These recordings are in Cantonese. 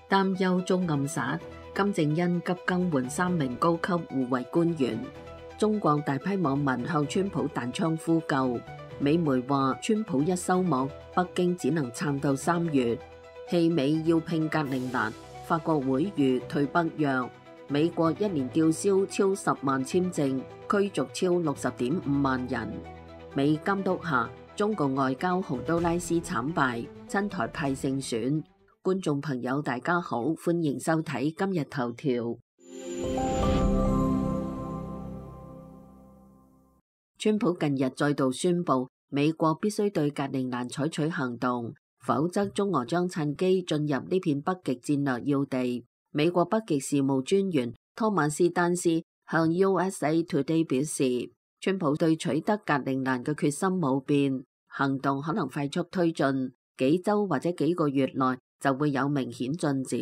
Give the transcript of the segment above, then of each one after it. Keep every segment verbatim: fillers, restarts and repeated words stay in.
擔憂中暗殺，金正恩急更換三名高級護衛官員。中國大批網民向川普彈槍呼救。美媒話川普一收網，北京只能撐到三月。棄美要拼格陵蘭，法國會籲退北約。美國一年吊銷超十萬簽證，驅逐超六十點五萬人。美監督下，中共外交洪都拉斯慘敗，親台派勝選。觀眾朋友大家好，歡迎收睇今日頭條。川普近日再度宣布，美國必須對格陵蘭採取行動，否則中俄將趁機進入呢片北極戰略要地。美國北極事務專員托馬斯丹斯向 U S A Today 表示，川普對取得格陵蘭嘅決心冇變，行動可能快速推進，幾週或者幾個月內就會有明顯進展。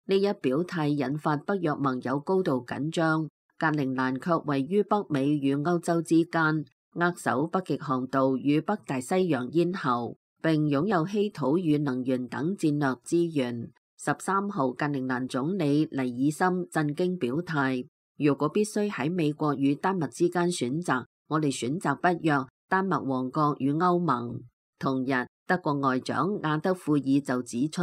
呢一表態引發北約盟友高度緊張，格陵蘭卻位於北美與歐洲之間，扼守北極航道與北大西洋咽喉，並擁有稀土與能源等戰略資源。十三號，格陵蘭總理尼爾森震驚表態，如果必須喺美國與丹麥之間選擇，我哋選擇北約、丹麥王國與歐盟。同日，德國外長亞德庫爾就指出，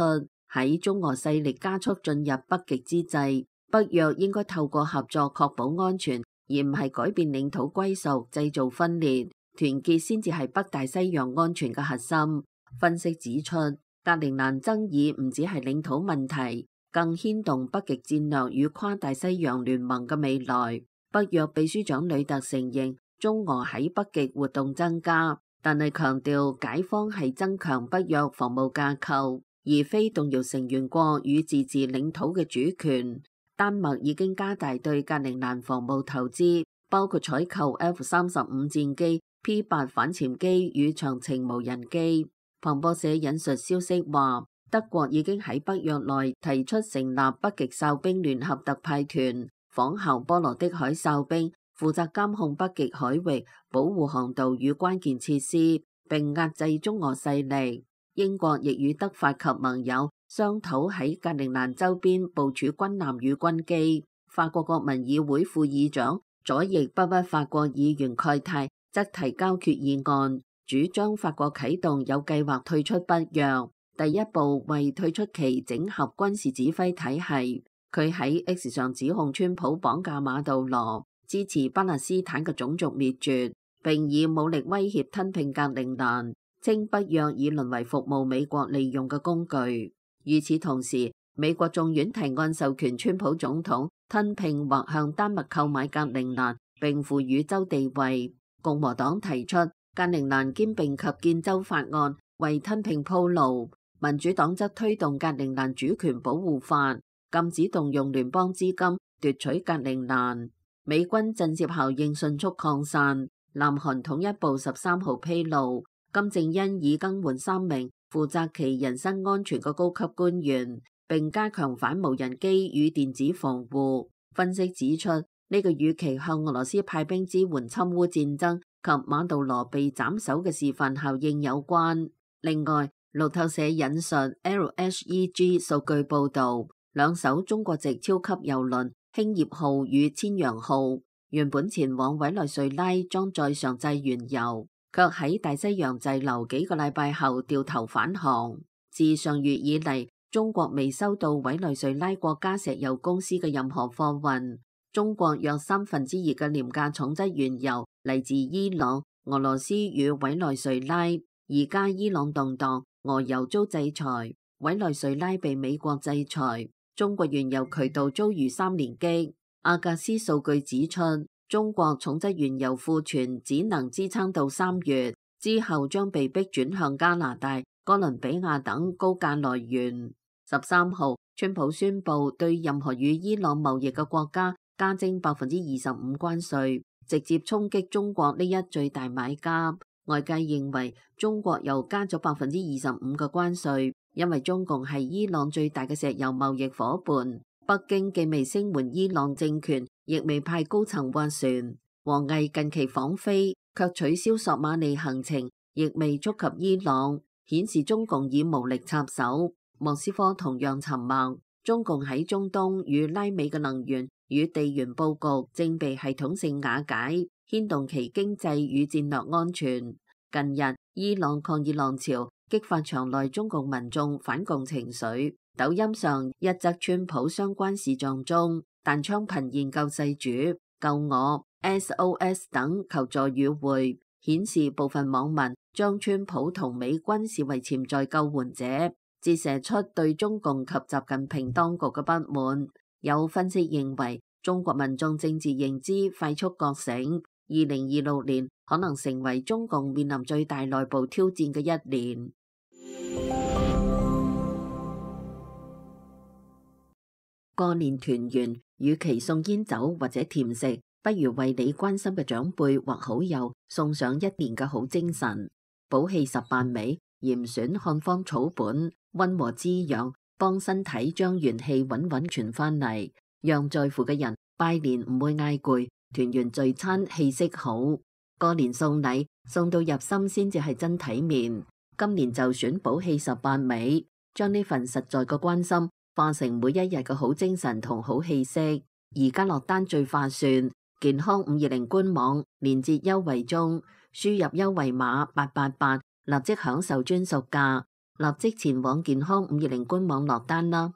喺中俄勢力加速進入北極之際，北約應該透過合作確保安全，而唔係改變領土歸屬、製造分裂。團結先至係北大西洋安全嘅核心。分析指出，格陵蘭爭議唔只係領土問題，更牽動北極戰略與跨大西洋聯盟嘅未來。北約秘書長呂特承認中俄喺北極活動增加，但係強調解方係增強北約防務架構，而非動搖成員國與自治領土嘅主權。丹麥已經加大對格陵蘭防務投資，包括採購 F 三十五戰機、P 八反潛機與長程無人機。彭博社引述消息話，德國已經喺北約內提出成立北極哨兵聯合特派團，仿效波羅的海哨兵，負責監控北極海域、保護航道與關鍵設施，並壓制中俄勢力。英國亦與德法及盟友商討喺格陵蘭周邊部署軍艦與軍機。法國國民議會副議長左翼北北法國議員蓋泰則提交決議案，主張法國啟動有計劃退出北約，第一步為退出其整合軍事指揮體系。佢喺 X 上指控川普綁架馬杜羅，支持巴勒斯坦嘅種族滅絕，並以武力威脅吞併格陵蘭，稱北約已淪為服務美國利用嘅工具。與此同時，美國眾院提案授權川普總統吞併或向丹麥購買格陵蘭，並賦予州地位。共和黨提出格陵蘭兼併及建州法案，為吞併鋪路。民主黨則推動格陵蘭主權保護法，禁止動用聯邦資金奪取格陵蘭。美軍震懾效應迅速擴散。南韓統一部十三號披露，金正恩已更換三名負責其人身安全嘅高級官員，並加強反無人機與電子防護。分析指出，呢、這個與其向俄羅斯派兵支援侵烏戰爭及馬杜羅被斬首嘅示範效應有關。另外，路透社引述 L H E G 數據報導，兩艘中國籍超級郵輪興業號與千陽號原本前往委內瑞拉裝載上製原油，卻喺大西洋滯留幾個禮拜後掉頭返航。自上月以嚟，中國未收到委內瑞拉國家石油公司嘅任何貨運。中國約三分之二嘅廉價重質原油嚟自伊朗、俄羅斯與委內瑞拉。而家伊朗動盪，俄油遭制裁，委內瑞拉被美國制裁，中國原油渠道遭遇三連擊。阿格斯數據指出，中國重質原油庫存只能支撐到三月，之後將被迫轉向加拿大、哥倫比亞等高價來源。十三號，川普宣布對任何與伊朗貿易嘅國家加徵百分之二十五關稅，直接衝擊中國呢一最大買家。外界認為中國又加咗百分之二十五嘅關稅，因為中共係伊朗最大嘅石油貿易夥伴。北京既未聲援伊朗政權，亦未派高層斡旋。王毅近期訪菲，卻取消索馬利行程，亦未觸及伊朗，顯示中共已無力插手。莫斯科同樣沉默。中共喺中東與拉美嘅能源與地緣佈局正被系統性瓦解，牽動其經濟與戰略安全。近日，伊朗抗議浪潮激發場內中共民眾反共情緒。抖音上一則川普相關視像中，彈槍頻現救世主、救我、S O S 等求助語彙，顯示部分網民將川普同美軍視為潛在救援者，折射出對中共及習近平當局嘅不滿。有分析認為，中國民眾政治認知快速覺醒，二零二六年可能成為中共面臨最大內部挑戰嘅一年。過年團圓，與其送煙酒或者甜食，不如為你關心嘅長輩或好友送上一年嘅好精神。補氣十八味，嚴選漢方草本，溫和滋養，幫身體將元氣穩穩傳翻嚟，讓在乎嘅人拜年唔會嗌攰，團圓聚餐氣息好。過年送禮送到入心先至係真體面。今年就選補氣十八味，將呢份實在嘅關心化成每一日嘅好精神同好氣息。而家落單最划算，健康五二零官網連結優惠中，輸入優惠碼八八八，立即享受專屬價，立即前往健康五二零官網落單啦。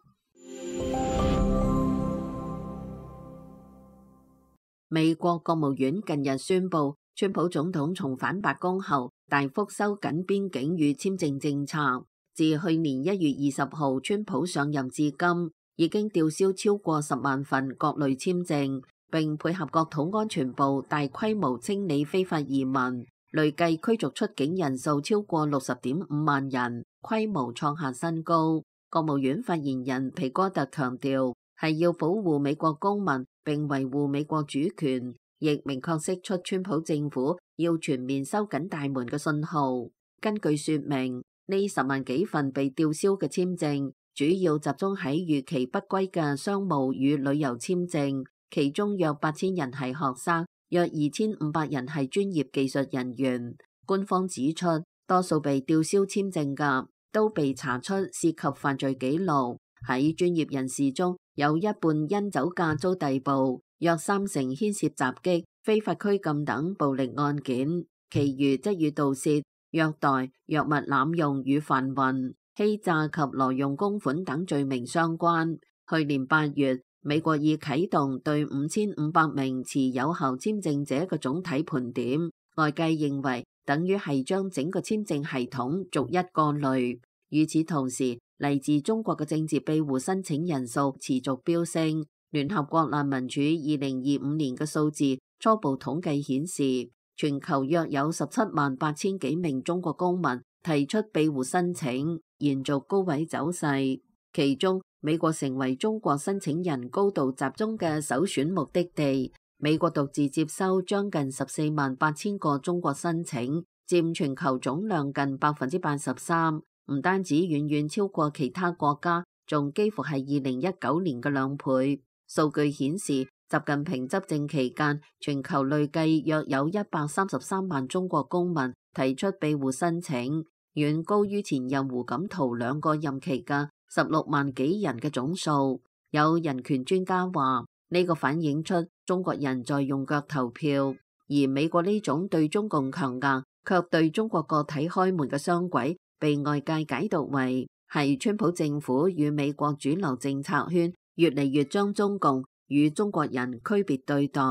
美國國務院近日宣布，川普總統重返白宮後，大幅收緊邊境與簽證政策。自去年一月二十號川普上任至今，已經吊銷超過十萬份各類簽證，並配合國土安全部大規模清理非法移民，累計驅逐出境人數超過六十點五萬人，規模創下新高。國務院發言人皮哥特強調，係要保護美國公民並維護美國主權，亦明確釋出川普政府要全面收緊大門嘅信號。根據說明，呢十萬幾份被吊銷嘅簽證，主要集中喺逾期不歸嘅商務與旅遊簽證，其中約八千人係學生，約二千五百人係專業技術人員。官方指出，多數被吊銷簽證嘅都被查出涉及犯罪記錄，喺專業人士中有一半因酒駕遭逮捕，約三成牽涉襲擊、非法拘禁等暴力案件，其餘則與盜竊、虐待、藥物濫用與販運、欺詐及挪用公款等罪名相關。去年八月，美國已啟動對五千五百名持有效簽證者嘅總體盤點，外界認為等於係將整個簽證系統逐一過濾。與此同時，嚟自中國嘅政治庇護申請人數持續飆升。聯合國難民署二零二五年嘅數字初步統計顯示，全球約有十七萬八千幾名中國公民提出庇護申請，延續高位走勢。其中，美國成為中國申請人高度集中嘅首選目的地。美國獨自接收將近十四萬八千個中國申請，佔全球總量近百分之八十三。唔單止遠遠超過其他國家，仲幾乎係二零一九年嘅兩倍。數據顯示，習近平執政期間，全球累計約有一百三十三萬中國公民提出庇護申請，遠高於前任胡錦濤兩個任期嘅十六萬幾人嘅總數。有人權專家話，呢個反映出中國人在用腳投票，而美國呢種對中共強硬，卻對中國個體開門嘅雙軌，被外界解讀為係川普政府與美國主流政策圈越嚟越將中共與中國人區別對待。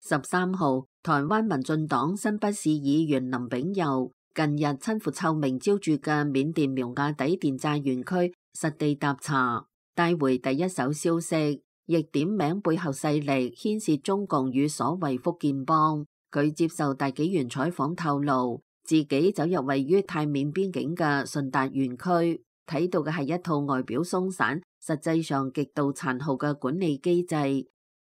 十三號，台灣民進黨新北市議員林炳佑近日親赴臭名昭著嘅緬甸苗瓦底電詐園區實地踏查，帶回第一手消息，亦點名背後勢力牽涉中共與所謂福建幫。佢接受大紀元採訪透露，自己走入位於泰緬邊境嘅順達園區，睇到嘅係一套外表鬆散，實際上極度殘酷嘅管理機制。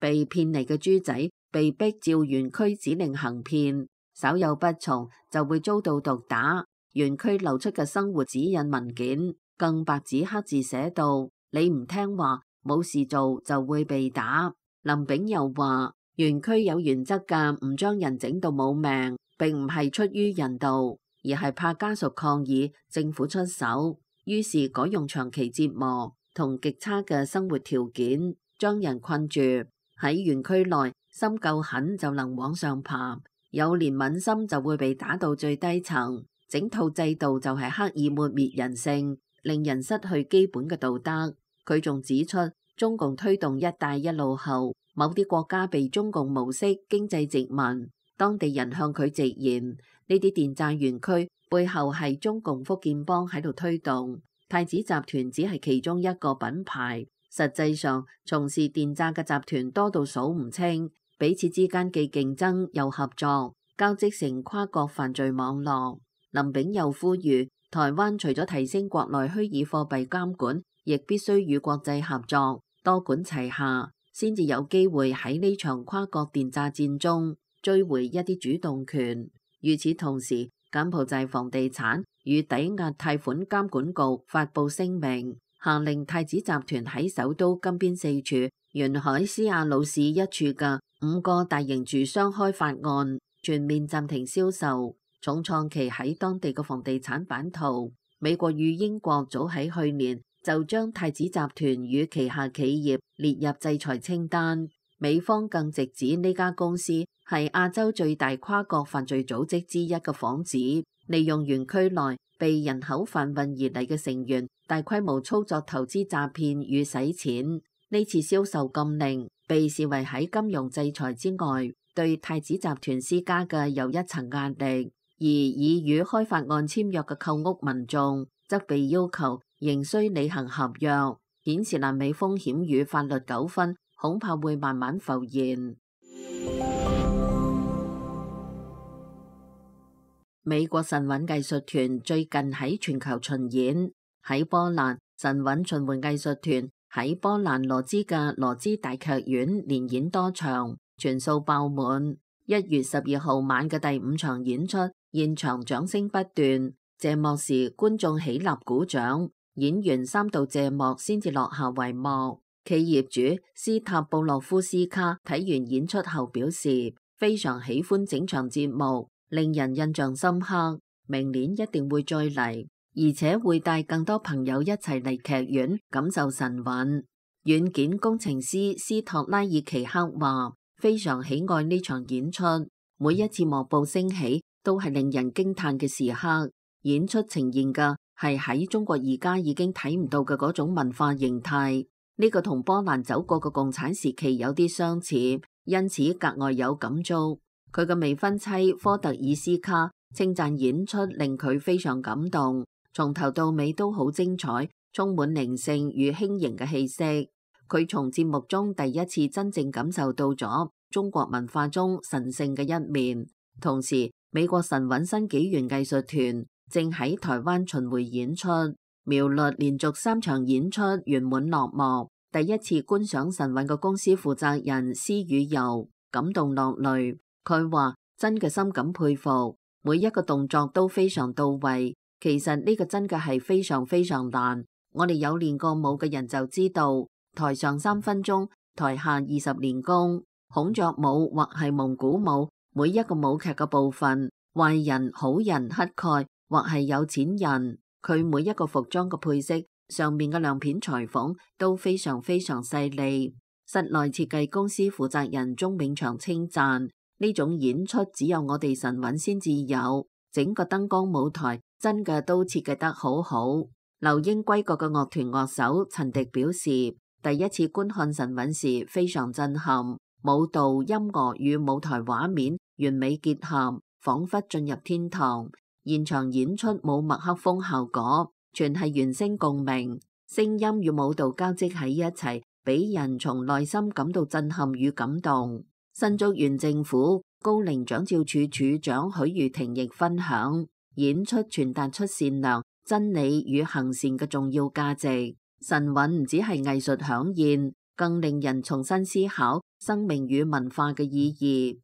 被騙嚟嘅豬仔被逼照園區指令行騙，稍有不從就會遭到毒打。園區流出嘅生活指引文件更白紙黑字寫到：你唔聽話，冇事做就會被打。林炳佑話：園區有原則㗎，唔將人整到冇命，並唔係出於人道。而係怕家屬抗議，政府出手，於是改用長期折磨同極差嘅生活條件，將人困住喺園區內，心夠狠就能往上爬，有憐憫心就會被打到最低層。整套制度就係刻意抹滅人性，令人失去基本嘅道德。佢仲指出，中共推動一帶一路後，某啲國家被中共模式經濟殖民，當地人向佢直言，呢啲電詐園區背後係中共福建幫喺度推動，太子集團只係其中一個品牌。實際上，從事電詐嘅集團多到數唔清，彼此之間既競爭又合作，交織成跨國犯罪網絡。林炳又呼籲，台灣除咗提升國內虛擬貨幣監管，亦必須與國際合作，多管齊下，先至有機會喺呢場跨國電詐戰中追回一啲主動權。與此同時，柬埔寨房地產與抵押貸款監管局發布聲明，下令太子集團喺首都金邊四處、沿海斯亞魯市一處嘅五個大型住商開發案全面暫停銷售，重創其喺當地嘅房地產版圖。美國與英國早喺去年就將太子集團與旗下企業列入制裁清單，美方更直指呢家公司係亞洲最大跨國犯罪組織之一嘅幌子，利用園區內被人口販運而嚟嘅成員，大規模操作投資詐騙與洗錢。呢次銷售禁令被視為喺金融制裁之外，對太子集團施加嘅又一層壓力。而已與開發案簽約嘅購屋民眾則被要求仍需履行合約，顯示爛尾風險與法律糾紛恐怕會慢慢浮現。美國神韻藝術團最近喺全球巡演，喺波蘭神韻巡迴藝術團喺波蘭羅茲嘅羅茲大劇院連演多場，全數爆滿。一月十二號晚嘅第五場演出，現場掌聲不斷，謝幕時觀眾起立鼓掌，演完三度謝幕先至落下帷幕。企業主斯塔布洛夫斯卡睇完演出後表示，非常喜歡整場節目，令人印象深刻，明年一定會再嚟，而且會帶更多朋友一齊嚟劇院感受神韻。軟件工程師斯托拉爾奇克話，非常喜愛呢場演出，每一次幕布升起都係令人驚嘆嘅時刻。演出呈現嘅係喺中國而家已經睇唔到嘅嗰種文化形態，呢個同波蘭走過嘅共產時期有啲相似，因此格外有感觸。佢嘅未婚妻科特爾斯卡稱讚演出令佢非常感動，從頭到尾都好精彩，充滿靈性與輕盈嘅氣息。佢從節目中第一次真正感受到咗中國文化中神聖嘅一面。同時，美國神韻新紀元藝術團正喺台灣巡迴演出，苗栗連續三場演出圓滿落幕。第一次觀賞神韻嘅公司負責人施宇游感動落淚，佢話真嘅深感佩服，每一個動作都非常到位。其實呢個真嘅係非常非常難，我哋有練過舞嘅人就知道，台上三分鐘，台下二十年功。孔雀舞或係蒙古舞，每一個舞劇嘅部分，壞人、好人、乞丐或係有錢人，佢每一個服裝嘅配色上面嘅亮片裁縫都非常非常細膩。室內設計公司負責人鐘永祥稱讚，呢種演出只有我哋神韻先至有，整個燈光舞台真嘅都設計得好好。留英歸國嘅樂團樂手陳迪表示，第一次觀看神韻時非常震撼，舞蹈、音樂與舞台畫面完美結合，仿佛進入天堂。現場演出冇麥克風效果，全係原聲共鳴，聲音與舞蹈交織喺一齊，俾人從內心感到震撼與感動。新竹縣政府高齡長照處處長許如婷亦分享，演出傳達出善良、真理與行善嘅重要價值。神韻唔只係藝術饗宴，更令人重新思考生命與文化嘅意義。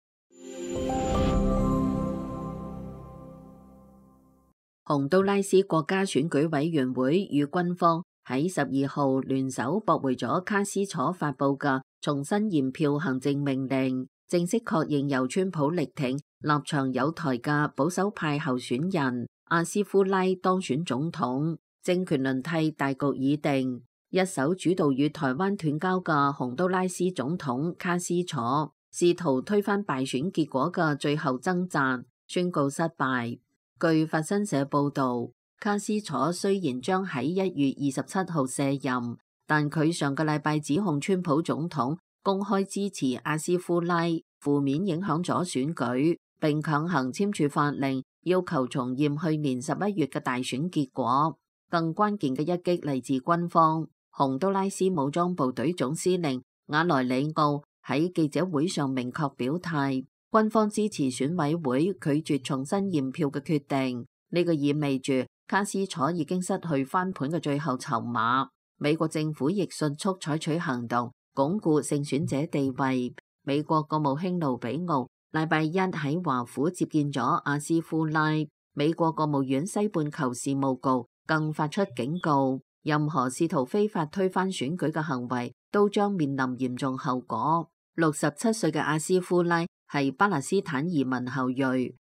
洪都拉斯國家選舉委員會與軍方喺十二號聯手駁回咗卡斯楚發佈嘅重新驗票行政命令，正式確認由川普力挺立場有台嘅保守派候選人阿斯夫拉當選總統，政權輪替大局已定。一手主導與台灣斷交嘅洪都拉斯總統卡斯楚，試圖推翻敗選結果嘅最後掙扎，宣告失敗。據法新社報導，卡斯楚雖然將喺一月二十七號卸任，但佢上個禮拜指控川普總統公開支持阿斯夫拉，負面影響咗選舉，並強行簽署法令，要求重驗去年十一月嘅大選結果。更關鍵嘅一擊嚟自軍方。洪都拉斯武裝部隊總司令瓦萊里奧喺記者會上明確表態，軍方支持選委會拒絕重新驗票嘅決定。呢個意味住卡斯楚已經失去翻盤嘅最後籌碼。美國政府亦迅速採取行動，鞏固勝選者地位。美國國務卿盧比奧禮拜一喺華府接見咗阿斯夫拉。美國國務院西半球事務局更發出警告，任何試圖非法推翻選舉嘅行為都將面臨嚴重後果。六十七歲嘅阿斯夫拉係巴勒斯坦移民後裔，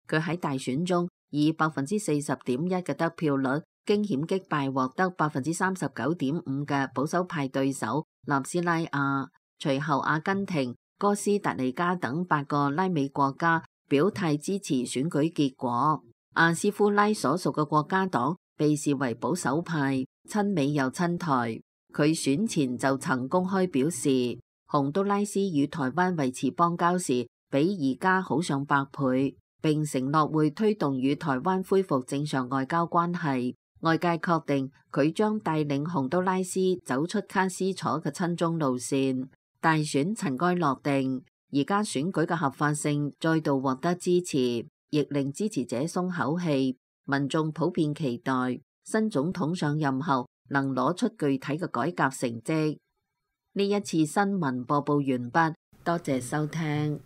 佢喺大選中以百分之四十點一嘅得票率驚險擊敗獲得百分之三十九點五嘅保守派對手納斯拉亞。隨後阿根廷、哥斯達黎加等八個拉美國家表態支持選舉結果。阿斯夫拉所屬嘅國家黨被視為保守派，親美又親台。佢選前就曾公開表示，洪都拉斯與台灣維持邦交時比而家好上百倍，並承諾會推動與台灣恢復正常外交關係。外界確定佢將帶領洪都拉斯走出卡斯楚嘅親中路線。大選塵埃落定，而家選舉嘅合法性再度獲得支持，亦令支持者鬆口氣。民眾普遍期待新總統上任後能攞出具體嘅改革成績。呢一次新聞播報完畢，多謝收聽。